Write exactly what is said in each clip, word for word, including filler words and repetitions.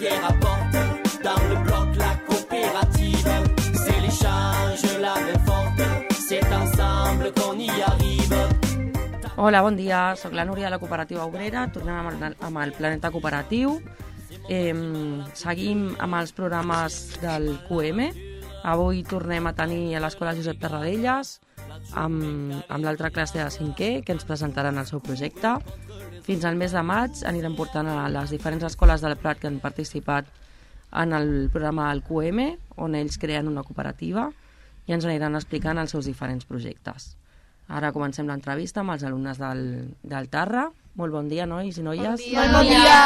qui rapporte dans le bloc la coopérative. C'est l'échange, la main forte, c'est ensemble qu'on y arrive. Hola, bon dia, soc la Núria de la Cooperativa Obrera, tornem amb el, amb el Planeta Cooperatiu. Eh, seguim amb els programes del Q M. Avui tornem a tenir a l'Escola Josep Tarradellas amb, amb l'altra classe de cinquè, que ens presentaran el seu projecte. Fins al mes de maig anirem portant a les diferents escoles del Prat que han participat en el programa del Q M, on ells creen una cooperativa i ens aniran explicant els seus diferents projectes. Ara comencem l'entrevista amb els alumnes del, del Tarra. Molt bon dia, nois i noies. Bon dia. Bon dia.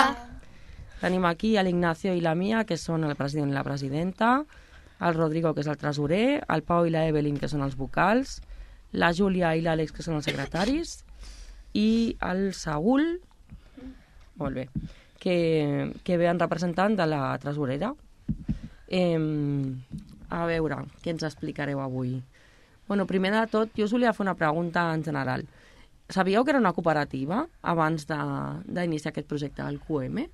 Tenim aquí a l'Ignacio i la Mia, que són el president i la presidenta, el Rodrigo, que és el tresorer, el Pau i la Evelyn, que són els vocals, la Júlia i l'Àlex, que són els secretaris, i el Saúl, molt bé, que, que ve en representant de la tresorera. Eh, a veure, què ens explicareu avui? Bueno, primer de tot, jo us volia fer una pregunta en general. Sabíeu que era una cooperativa abans d'iniciar aquest projecte del Q M?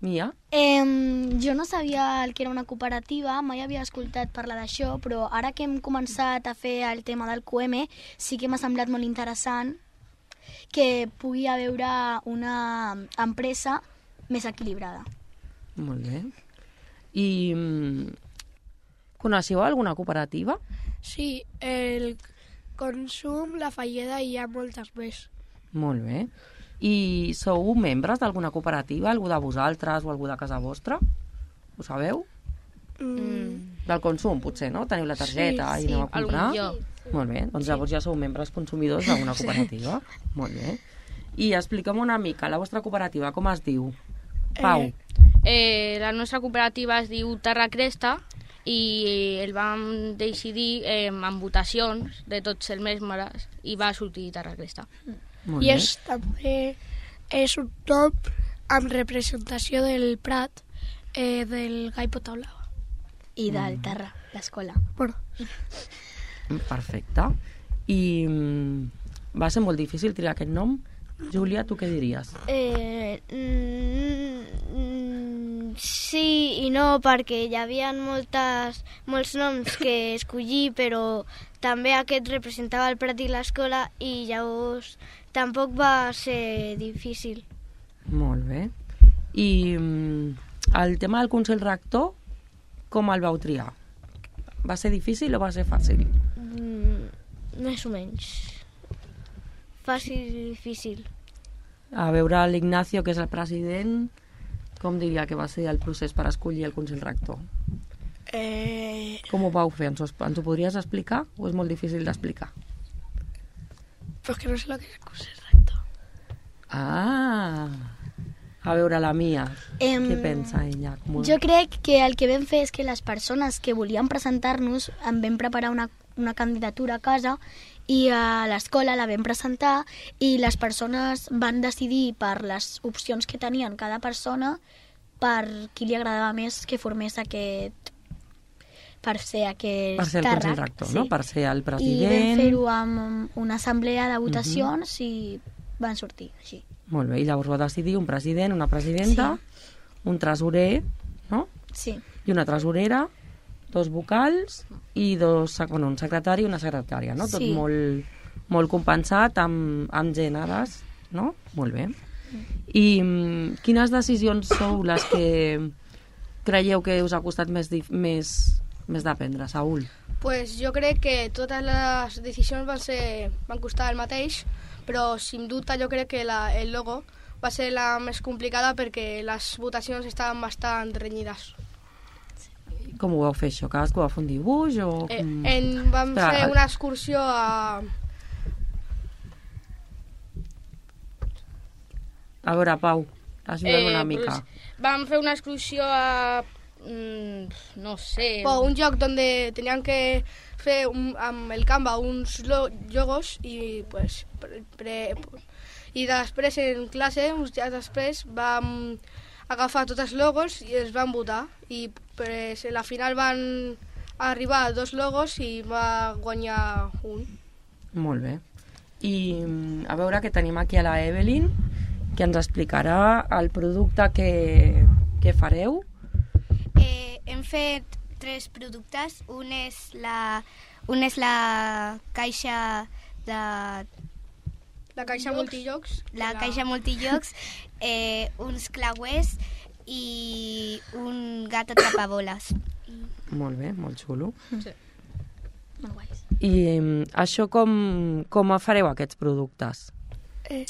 Mia? Eh, jo no sabia el que era una cooperativa, mai havia escoltat parlar d'això, però ara que hem començat a fer el tema del Q M, sí que m'ha semblat molt interessant que pugui haver una empresa més equilibrada. Molt bé. I coneixeu alguna cooperativa? Sí, el Consum, la Falleda i hi ha moltes més. Molt bé. I sou membres d'alguna cooperativa? Algú de vosaltres o algú de casa vostra? Ho sabeu? Mm. Del Consum, potser, no? Teniu la targeta sí, i aneu sí, a comprar? Sí. Molt bé, doncs llavors ja sou membres consumidors d'una cooperativa. Sí. Molt bé. I explica'm una mica, la vostra cooperativa, com es diu? Pau. Eh, eh, la nostra cooperativa es diu Terra Cresta i el vam decidir eh, amb votacions de tots els membres i va sortir Terra Cresta. Molt I bé. és també és un nom amb representació del Prat, eh, del Gai Potablava. I del Terra, l'escola. Bueno, Perfecte. I mm, va ser molt difícil triar aquest nom? Júlia, tu què diries? Eh, mm, sí i no, perquè hi havia moltes, molts noms que escollir, però també aquest representava el Prat i l'escola i llavors tampoc va ser difícil. Molt bé. I mm, el tema del Consell Rector, com el vau triar? Va ser difícil o va ser fàcil? Mm, més o menys. Fàcil i difícil. A veure, l'Ignacio, que és el president, com diria que va ser el procés per escollir el Consell Rector? eh, Com ho vau fer? Ens ho, ens ho podries explicar o és molt difícil d'explicar? pues que no sé lo que es el Consell Rector. Ah! A veure, la Mia, Em, què pensa ella? Com ho... Jo crec que el que vam fer és que les persones que volien presentar-nos en vam preparar una, una candidatura a casa i a l'escola la vam presentar i les persones van decidir per les opcions que tenien cada persona per qui li agradava més que formés aquest per ser aquest Per ser el càrrec. Consell Rector, Sí. no? Per ser el I president... vam fer-ho amb una assemblea de votacions uh-huh. i van sortir així. Molt bé, i llavors va decidir un president, una presidenta, sí. un tresorer, no? Sí. I una tresorera, dos vocals i dos, bueno, un secretari i una secretària, no? Tot Sí. molt, molt compensat amb, amb gèneres, no? Molt bé. I mm, quines decisions sou les que creieu que us ha costat més, dif- més, més d'aprendre, Saúl? Pues jo crec que totes les decisions van, ser, van costar el mateix, però sin dubte jo crec que la, el logo va ser la més complicada perquè les votacions estaven bastant renyides. Com ho vau fer això? Cadascú va fer un dibuix o... Eh, com- en, vam Espera, fer el- una excursió a... A veure, Pau, ajuda'm una mica. Pues, vam fer una excursió a... Mm, no sé... o un lloc donde tenían que fer un, amb el Canva uns lo, logos i pues, pre, pre, i després en classe, uns dies després, vam agafar tots els logos i els van votar i pues, a la final van arribar dos logos i va guanyar un. Molt bé. I mm, a veure que tenim aquí a la Evelyn que ens explicarà el producte que, que fareu. Eh, hem fet tres productes. Un és la, un és la caixa de... La caixa multillocs. La caixa multillocs, eh, uns clauers i un gat atrapaboles. Molt bé, molt xulo. Sí. Molt guais. I um, això com, com fareu aquests productes? Eh,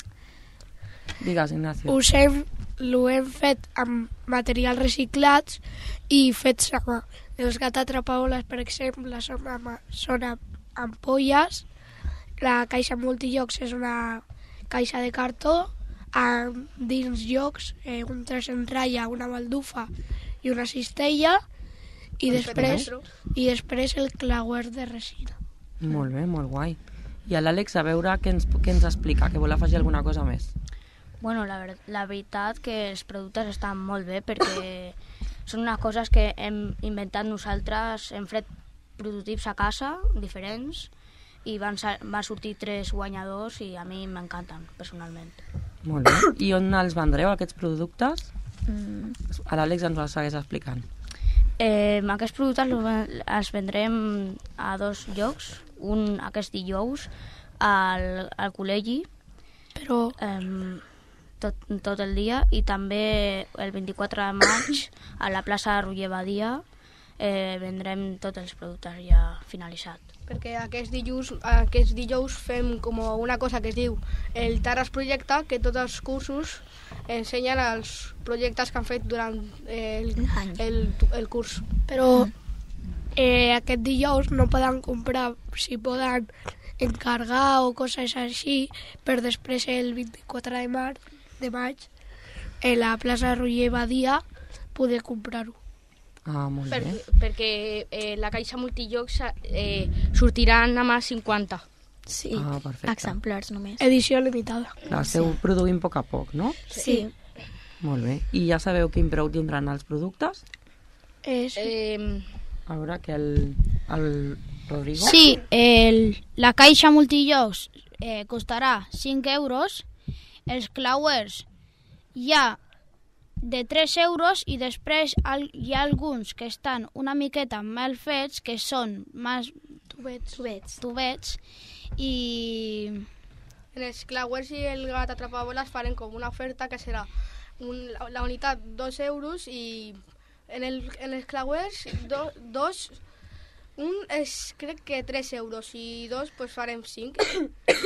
Digues, Ignacio. us hem, l'ho hem fet amb materials reciclats i fets a mà. Els gat atrapaboles, per exemple, són amb, són amb ampolles. La caixa multillocs és una caixa de cartó amb dins llocs, eh, un tres en ratlla, una baldufa i una cistella i després, i després el clauer de resina. Molt bé, molt guai. I a l'Àlex, a veure què ens, què ens explica, que vol afegir alguna cosa més. Bueno, la, ver la veritat que els productes estan molt bé perquè són unes coses que hem inventat nosaltres, hem fet prototips a casa, diferents, i van, van sortir tres guanyadors i a mi m'encanten, personalment. Molt bé. I on els vendreu, aquests productes? Mm. A l'Àlex ens ho segueix explicant. Eh, aquests productes els vendrem a dos llocs. Un aquest dijous al, al col·legi, Però eh, tot, tot el dia, i també el vint-i-quatre de maig a la plaça Roger Badia eh, vendrem tots els productes ja finalitzats. Perquè aquest dijous, aquest dijous fem com una cosa que es diu el Taras Projecte, que tots els cursos ensenyen els projectes que han fet durant el, el, el curs. però eh, aquest dijous no poden comprar, si poden encargar o coses així, per després el vint-i-quatre de maig, de maig en la plaça Roger Badia poder comprar-ho. Ah, molt Per, bé. perquè eh, la caixa multillocs eh, sortiran a mà cinquanta. Sí, Ah, perfecte. exemplars només. Edició limitada. Clar, esteu produint a poc a poc, no? Sí. Molt bé. I ja sabeu quin preu tindran els productes? És... Eh, A veure, que el, el Rodrigo... Sí, el, la caixa multillocs eh, costarà cinc euros, els clauers hi ha de tres euros i després al, hi ha alguns que estan una miqueta mal fets, que són més Tubets. Tubets. tubets i... En els clauers i el gat atrapaboles farem com una oferta que serà un, la unitat dos euros i en, el, en els clauers do, dos, un és crec que tres euros i dos pues farem cinc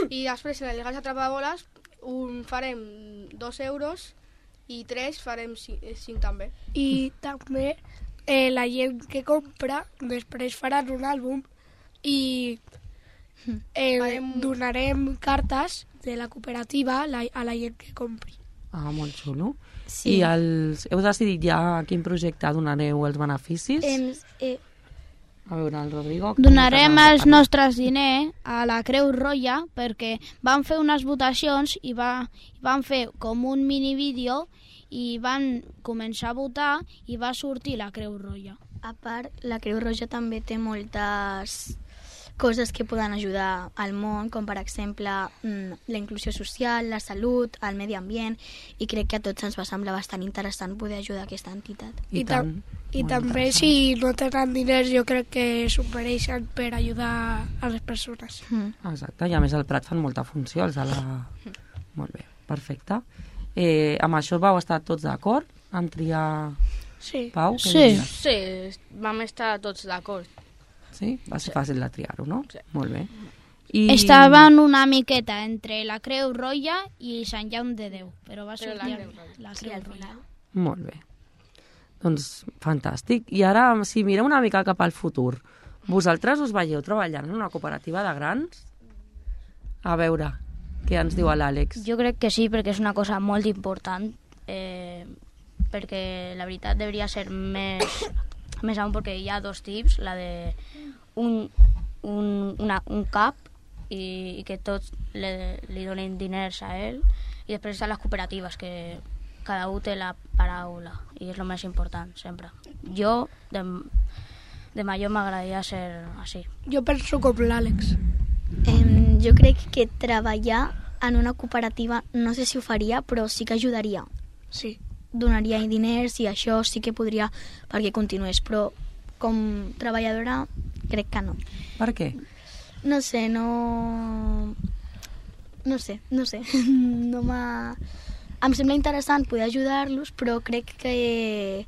i després en el gat atrapaboles un farem dos euros i tres farem cinc, cinc també. I també eh, la gent que compra després faran un àlbum i eh, Farem- donarem cartes de la cooperativa a la, a la gent que compri. Ah, molt xulo. Sí. I els, heu decidit ja a quin projecte donareu els beneficis? Em, eh, A veure, el Rodrigo... Donarem els nostres diners a la Creu Roja perquè van fer unes votacions i va, van fer com un mini vídeo i van començar a votar i va sortir la Creu Roja. a part, la Creu Roja també té moltes coses que poden ajudar al món, com per exemple mm, la inclusió social, la salut, el medi ambient, i crec que a tots ens va semblar bastant interessant poder ajudar aquesta entitat. I, I, tam tant. i Molt també interessant. si no tenen diners jo crec que s'ho mereixen per ajudar a les persones. Mm. Exacte, i a més al Prat fan molta funció, els de la... Molt bé, perfecte. Eh, amb això vau estar tots d'acord? En triar... Sí. Pau? què Sí. diries? sí, vam estar tots d'acord. Sí? Va ser fàcil de triar-ho, no? Sí. Molt bé. I... Estaven una miqueta entre la Creu Roja i Sant Jaume de Déu, però va Però sortir la Creu Roja. la Sí, Creu al Roja. final. Molt bé. Doncs fantàstic. I ara, si mireu una mica cap al futur, vosaltres us veieu treballant en una cooperativa de grans? A veure, què ens diu l'Àlex? Jo crec que sí, perquè és una cosa molt important, eh, perquè la veritat hauria ser més, més amunt, perquè hi ha dos tips, la de un, un, una, un cap i, i que tots le, li donen diners a ell, i després estan les cooperatives, que cada un té la paraula, i és el més important, sempre. Jo, de, de major, m'agradaria ser així. Jo penso com l'Àlex. Em, jo crec que treballar en una cooperativa no sé si ho faria, però sí que ajudaria. Sí. Donaria diners i això sí que podria perquè continués, però com treballadora crec que no. Per què? No sé, no... No sé, no sé. No m'ha... Em sembla interessant poder ajudar-los, però crec que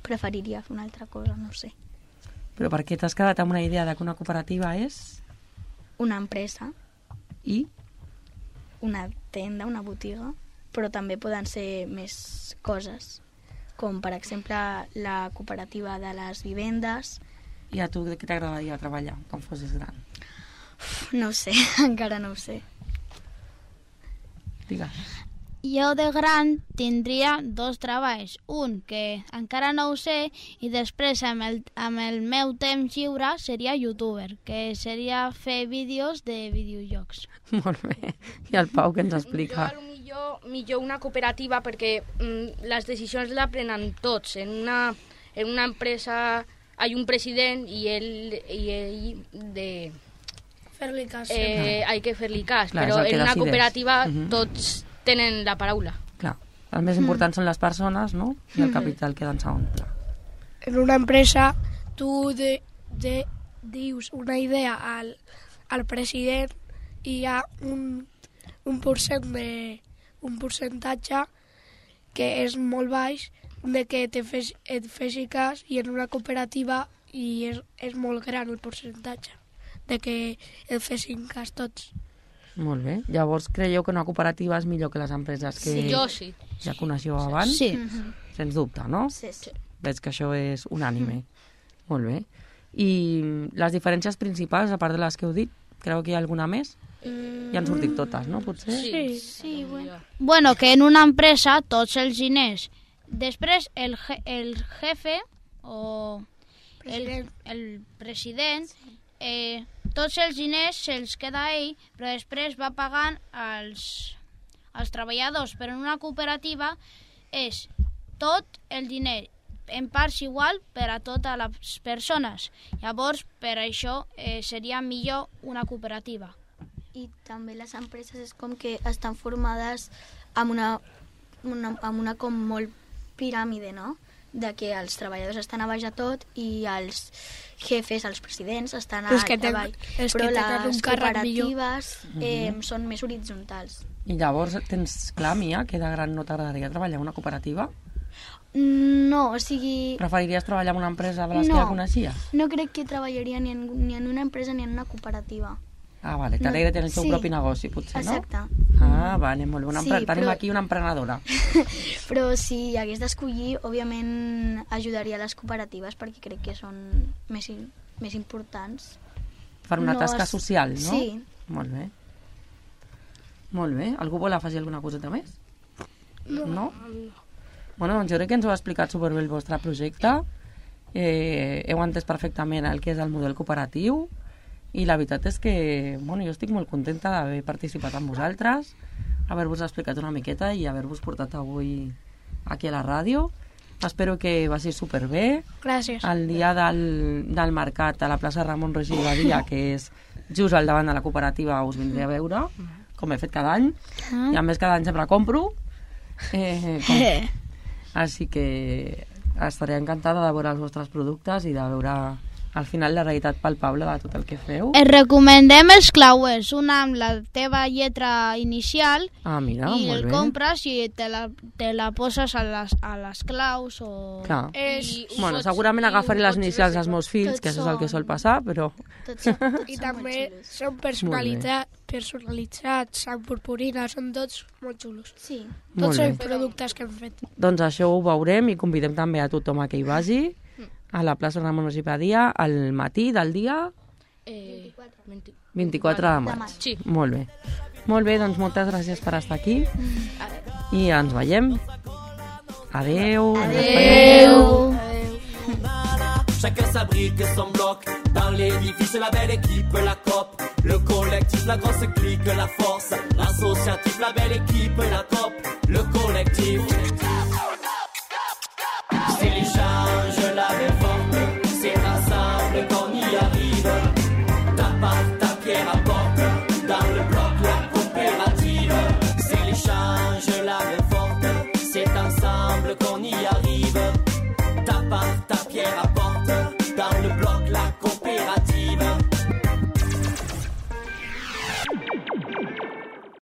preferiria fer una altra cosa, no sé. Però per què t'has quedat amb una idea de que una cooperativa és? Una empresa, I? una tenda, una botiga, però també poden ser més coses, com per exemple la cooperativa de les vivendes. I a tu què t'agradaria treballar quan fossis gran? No ho sé, encara no ho sé. Digues. Jo de gran tindria dos treballs. Un, que encara no ho sé, i després amb el, amb el meu temps lliure seria youtuber, que seria fer vídeos de videojocs. Molt bé. I el Pau, què ens explica? Jo, millor, millor una cooperativa perquè mm, les decisions les prenen tots. En una, en una empresa hi ha un president i ell, i ell de... Fer-li cas. Eh, hay que fer-li cas, Clar, però és el que en una decideix. cooperativa Mhm. tots tenen la paraula. Clar, el més important són les persones, no? I el capital queda en segon pla. En una empresa tu de, de, dius una idea al, al president i hi ha un, un, percent de, un percentatge que és molt baix de que te fes, et fessi cas, i en una cooperativa i és, és molt gran el percentatge de que et fessin cas tots. Molt bé. Llavors, creieu que una cooperativa és millor que les empreses que Sí, jo sí. ja coneixeu abans? Sí. Sens dubte, no? Sí, sí. Veig que això és unànime. Molt bé. I les diferències principals, a part de les que heu dit, creu que hi ha alguna més? Ja han sortit totes, no? Potser? Sí. Sí, bueno. Bueno, que en una empresa tots els diners. Després el, je, el jefe o el, el president, eh, tots els diners se'ls queda ell, però després va pagant als, als treballadors. Però en una cooperativa és tot el diner en parts igual per a totes les persones. Llavors, per això eh, seria millor una cooperativa. I també les empreses és com que estan formades amb una, una, amb una com molt piràmide, no? De que els treballadors estan a baix a tot i els jefes, els presidents, estan a Els que ten- avall. els Però que tenen un les càrrec cooperatives eh, són més horitzontals. I llavors tens clar, Mia, que de gran no t'agradaria treballar en una cooperativa? No, o sigui... Preferiries treballar en una empresa de les No. que ja coneixies? No crec que treballaria ni en, ni en una empresa ni en una cooperativa. Ah, vale, t'alegra tenir el teu Sí. propi negoci, potser, no? Exacte. Ah, vale, molt bé. Una Sí, empre- Tenim però- aquí una emprenedora. Però si hagués d'escollir, òbviament ajudaria les cooperatives perquè crec que són més, in- més importants. Per una No tasca es- social, no? Sí. Molt bé. Molt bé. Algú vol afegir alguna coseta més? No. no? Bueno, doncs jo crec que ens ho ha explicat superbé el vostre projecte. Eh, heu entès perfectament el que és el model cooperatiu i la veritat és que bueno, jo estic molt contenta d'haver participat amb vosaltres, haver-vos explicat una miqueta i haver-vos portat avui aquí a la ràdio. Espero que vagi superbé. Gràcies. El dia del, del mercat a la plaça Ramon Roger i Badia, que és just al davant de la cooperativa, us vindré a veure, com he fet cada any. I a més cada any sempre compro. Eh, com... Així que estaré encantada de veure els vostres productes i de veure al final la realitat palpable de tot el que feu. Et recomendem els clauers, una amb la teva lletra inicial Ah, mira, i molt el bé. compres i te la, te la poses a les, a les claus o... Clar. És, Bueno, segurament agafaré les inicials dels meus fills, que això és el que sol passar, però... Tots, són- tots I són també molt xulos. són personalitzats, personalitzats amb purpurina, són tots molt xulos. Sí. Molt Tots bé. són productes que hem fet. Doncs això ho veurem i convidem també a tothom a que hi vagi a la plaça Ramon Roger i Badia al matí del dia Eh, vint-i-quatre de maig. Sí. Molt bé. Molt bé, doncs moltes gràcies per estar aquí i ens veiem. Adeu. Adeu. Chacun s'abrite son bloc. Dans l'édifice, la belle équipe, la COP. Le collectif, la grosse clique, la force. L'associatif, la belle équipe, la COP.